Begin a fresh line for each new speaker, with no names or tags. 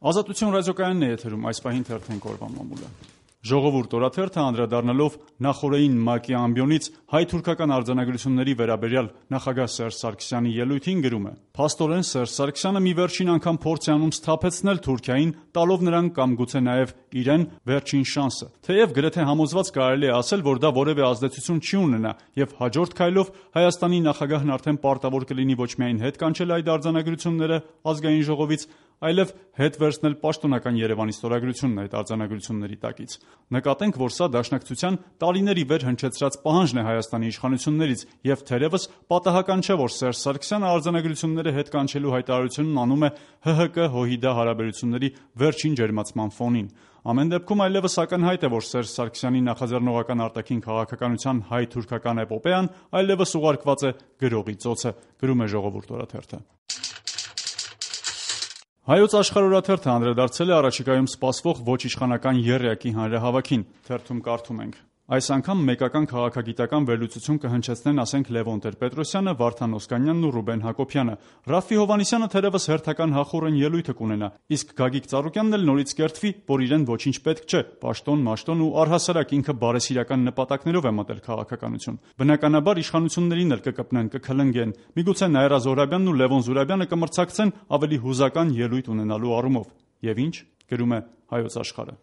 Ազատություն ռադիոկայանն է եթերում, այս պահին թերթենք օրվա մամուլը։ Ժողովուրդ օրաթերթը անդրադառնալով նախօրեին ՄԱԿ-ի ամբիոնից հայ-թուրքական արձանագրությունների վերաբերյալ նախագահ Սերժ Սարգսյանի ելույթին գրում է. «Փաստորեն Սերժ Սարգսյանը մի վերջին անգամ փորձ է անում սթափեցնել Թուրքիային, տալով նրան կամ գուցե նաև իրեն վերջին շանսը։ Թեև գրեթե համոզված կարելի է ասել, որ դա որևէ ազդեցություն չի ունենա, եւ հաջորդ քայլով Հայաստանի նախագահն արդեն պարտավոր կլինի ոչ միայն հետ կանչել այդ արձանագրությունները ազգային ժողովից, այլև հետ վերցնել պաշտոնական Երևանի ստորագրությունն այդ արձանագրությունների տակից։ Նկատենք, որ սա Դաշնակցության տարիներ ի վեր հնչեցրած պահանջն է Հայաստանի իշխանություններից, եւ թերևս պատահական չէ, որ Սերժ Սարգսյանը արձանագրությունները հետ կանչելու հայտարարությունն անում է ՀՀԿ-ՀՅԴ հարաբերությունների վերջին ջերմացման ֆոնին։ Ամեն դեպքում այլևս ակնհայտ է, որ Սերժ Սարգսյանի նախաձեռնողական արտաքին քաղաքականության հայ-թուրքական էպոպեան այլևս ուղարկված է գրողի ծոցը», գրում է Ժողովուրդ օրաթերթը։ Հայոց աշխարհ օրաթերթը անդրադարձել է առաջիկայում սպասվող ոչ իշխանական եռյակի հանրահավաքին։ Թերթում կարդում ենք. «Այս անգամ մեկական քաղաքագիտական վերլուծություն կհնչեցնեն, ասենք, Լևոն Տեր-Պետրոսյանը, Վարդան Օսկանյանն ու Ռուբեն Հակոբյանը։ Ռաֆֆի Հովհաննիսյանը թերևս հերթական հախուռն ելույթը կունենա, իսկ Գագիկ Ծառուկյանն էլ նորից կերտվի, որ իրեն ոչինչ պետք չէ, պաշտոն, մաշտոն ու առհասարակ ինքը բարեսիրական նպատակներով է մտել քաղաքականություն։ Բնականաբար իշխանություններին էլ կկպնեն, կքլնգեն, միգուցե Նաիրա Զոհրաբյանն ու Լևոն Զուրաբյանը կմրցակցեն ավելի հուզական ելույթ ունենալու առումով։ Եվ ինչ», գրում է Հայոց աշխարհը։